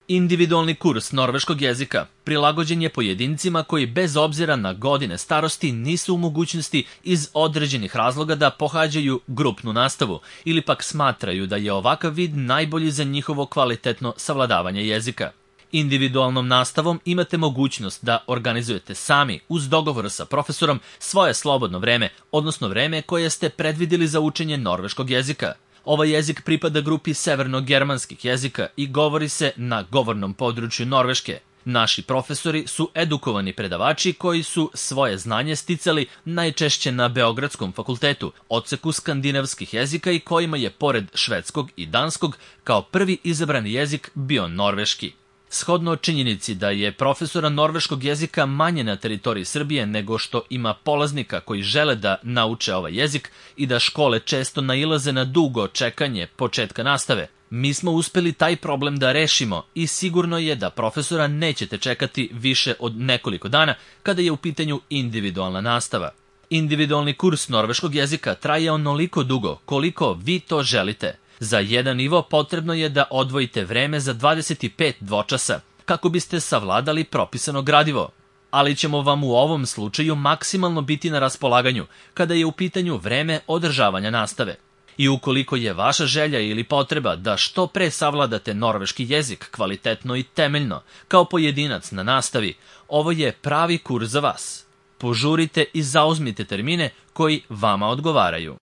Individualni kurs norveškog jezika prilagođen je pojedincima koji bez obzira na godine starosti nisu u mogućnosti iz određenih razloga da pohađaju grupnu nastavu ili pak smatraju da je ovakav vid najbolji za njihovo kvalitetno savladavanje jezika. Individualnom nastavom imate mogućnost da organizujete sami, uz dogovor sa profesorom, svoje slobodno vreme, odnosno vreme koje ste predvideli za učenje norveškog jezika. Ovaj jezik pripada grupi severno-germanskih jezika i govori se na govornom području Norveške. Naši profesori su edukovani predavači koji su svoje znanje sticali najčešće na Beogradskom fakultetu, odseku skandinavskih jezika i kojima je pored švedskog i danskog kao prvi izabrani jezik bio norveški. Shodno činjenici da je profesora norveškog jezika manje na teritoriji Srbije nego što ima polaznika koji žele da nauče ovaj jezik i da škole često nailaze na dugo čekanje početka nastave, mi smo uspeli taj problem da rešimo i sigurno je da profesora nećete čekati više od nekoliko dana kada je u pitanju individualna nastava. Individualni kurs norveškog jezika traje onoliko dugo koliko vi to želite. Za jedan nivo potrebno je da odvojite vreme za 25 dvočasa kako biste savladali propisano gradivo, ali ćemo vam u ovom slučaju maksimalno biti na raspolaganju kada je u pitanju vreme održavanja nastave. I ukoliko je vaša želja ili potreba da što pre savladate norveški jezik kvalitetno i temeljno kao pojedinac na nastavi, ovo je pravi kurs za vas. Požurite i zauzmite termine koji vama odgovaraju.